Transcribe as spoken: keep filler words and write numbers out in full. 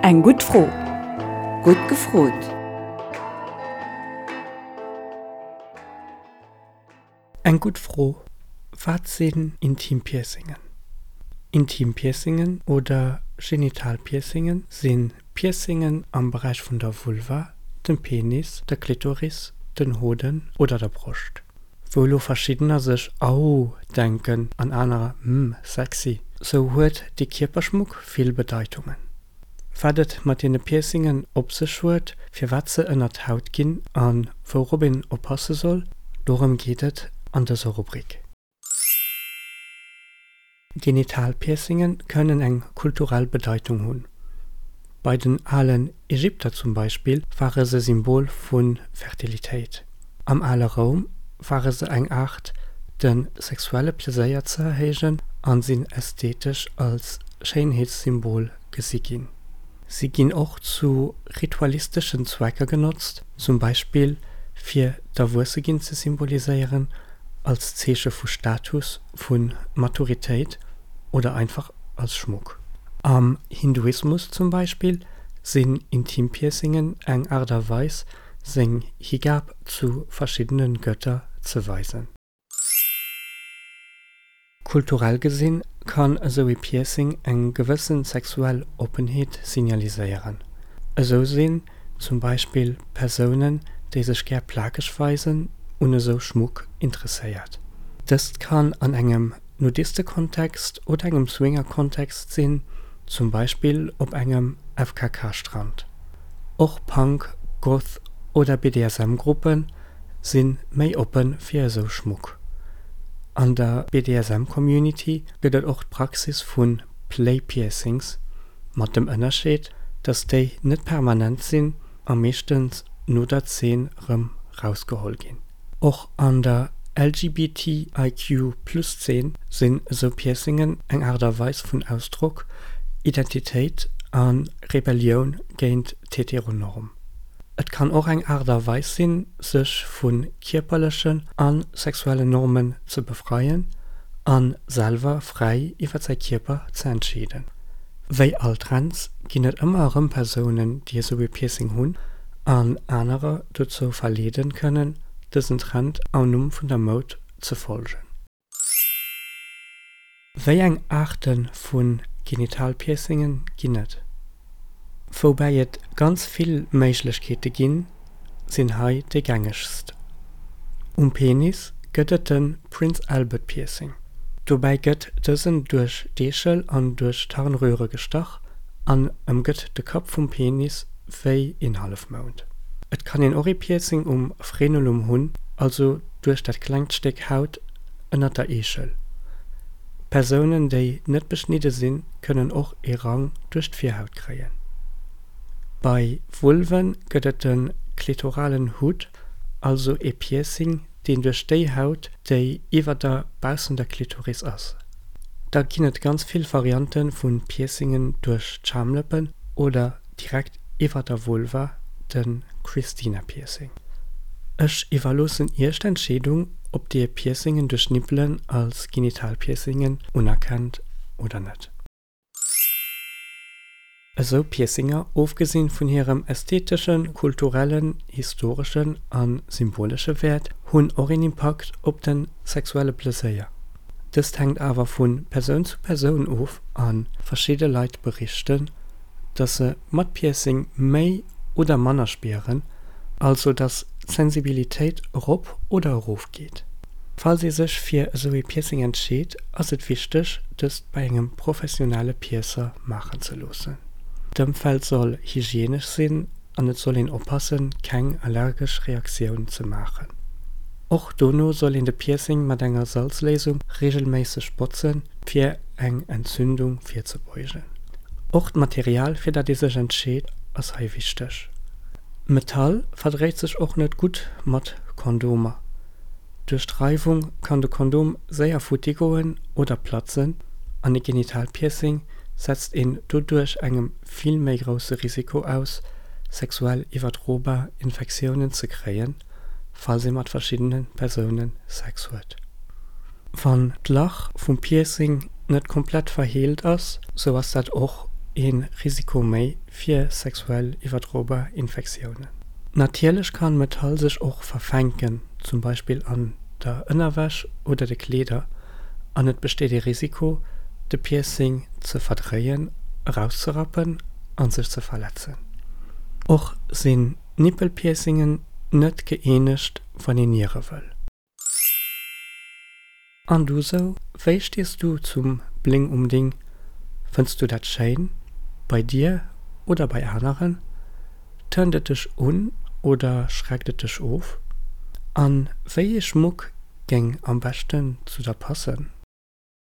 Eng gutt Fro. Gutt gefrot! Eng gutt Fro, Wat sinn Intimpiercingen? Intimpiercingen oder Genitalpiercingen si Piercingen am Beräich vun der Vulva, dem Penis, der Klitoris, den Hoden oder der Broscht. Wou elo verschiddener sech Au denken an anerer Hm, sexy, sou huet dee Kierperschmuck vill Bedeitungen. Wat et mat deene Piercingen op sech huet, firwat se ënnert d'Haut ginn a wourop een oppasse soll, dorëm geet et an dëser Rubrik. Genitalpiercingen kënnen eng kulturell Bedeitung hunn. Bei den alen Ägypter zum Beispill ware se Symbol vu Fertilitéit. Am ale Roum ware se eng Aart de sexuelle Pleséier ze erhéijen a sinn ästhetesch als Schéinheetssymbol gesi ginn. Si ginn och zu ritualisteschen Zwecker genotzt, zum Beispill fir d'Erwuesseginn ze symboliséieren, als Zeeche vu Status, vu Maturitéit oder einfach als Schmuck. Am Hinduismus zum Beispill sinn Intimpiercingen eng Aart a Weis, seng Higab zu verschiddene Gëtter ze weisen. Kulturell gesinn kann esou ee Piercing eng gewësse sexuell Oppenheet signaliséieren. Esou sinn zum Beispill Persounen, déi sech gär plakeg weisen, un esou Schmuck interesséiert. Dëst kann an engem Nudistekontext oder engem Swingerkontext sinn, zum Beispill op engem F K K-Strand. Och Punk-, Goth oder B D S M-Gruppe si méi oppe fir esou Schmuck. An der B D S M-Community gëtt et och d'Praxis vu Play-Piercings, mat dem Ënnerscheed, datt déi net permanent sinn a meeschtens no der Zeen rëm rausgeholl ginn. Och an der L G B T I Q plus Zeen sinn esou Piercingen eng Aart a Weis vun Ausdrock, Identitéit a Rebellioun géint d'Heteronorm. Et kann och eng Aart a Weis sinn, sech vu kierperlechen a sexuellen Normen ze befreien a selwer fräi iwwer säi Kierper ze entscheeden. Wéi all Trends ginn et ëmmer erëm Persounen, déi esou ee Piercing hunn an anerer dozou verleeden kënnen, dësen Trend am Numm vun der Moud ze folgen. Wéi eng Aarte vu Genitalpiercingen ginn et? Woubäi et ganz vill Méiglechkeete ginn, sinn hei déi gängegst. Um Penis gëtt et de Prince Albert Piercing. Dobäi gëtt dësen duerch d'Eechel an duerch d'Harnröre gestach an ëmgëtt de Kapp vum Penis wéi een Hallefmound. Et kann een och ee Piercing um Frenulum hunn, also duerch dat klengt Stéck Haut ënnert der Eechel. Persounen, déi net beschnidde sinn, kënnen och ee Rang duerch d'Virhaut kréien. Bei Vulven gëtt et de klitoralen Hutt, also ee Piercing, deen duerch déi Haut, déi iwwer der baussender Klitoris ass. Da ginn et ganz vill Variante vu Piercingen duerch d'Schamlëppen oder direkt iwwer der Vulva, de Christina-Piercing. Ech iwwerloossen Iech d'Entscheedung, ob Dir Piercingen duerch Nippelen als Genitalpiercingen unerkennt oder net. Esou Piercinger, ofgesinn vun hirem ästheteschen, kulturellen, historeschen a symbolesche Wäert, hunn och een Impakt op de sexuelle Pleséier. Dëst hänkt awer vu Persoun zu Persoun of a verschidde Leit berichten, dass se mat Piercing méi oder manner spieren, also dass d'Sensibilitéit erop oder erof geet. Falls ee sech fir esou ee Piercing entscheet, ass et wichteg, dëst bei engem professionelle Piercer maachen ze loossen. D'Ëmfeld soll hygienesch sinn an et soll een oppassen, keng allergesch Reaktioun ze maachen. Och dono soll een de Piercing mat enger Salzléisung reegelméisseg botzen, fir eng Entzündung virzebeugen. Och d'Material, fir dat ee sech entscheet, ass hei wichteg. Metall verdréit sech och net gutt mat Kondomer. Duerch d'Reiwung kann de Kondom séier futti goen oder platzen an e Genitalpiercing setzt een doduerch engem vill méi grousse Risiko aus, sexuell iwwerdrobar Infektiounen ze kréien, falls ee mat verschiddene Persoune Sex huet. Wann d'Lach vum Piercing net komplett verheelt ass, sou ass dat och ee Risiko méi fir sexuell iwwerdrobar Infektiounen. Natierlech kann Metall sech och verfänken, zum Beispill an der Ënnerwäsch oder de Kleeder, an et besteet ee Risiko, de Piercing ze verdréien, erauszerappen an sech ze verletzen. Och sinn Nippelpiercingen net gëeenegt, wann een niere wëll. An du sou, wéi stees du zum Bling um Ding? Fënns du dat schéin? Bei dir oder bei aneren? Turnt et dech un oder schreckt et dech of? An wéi ee Schmuck géing am beschten zu der passen?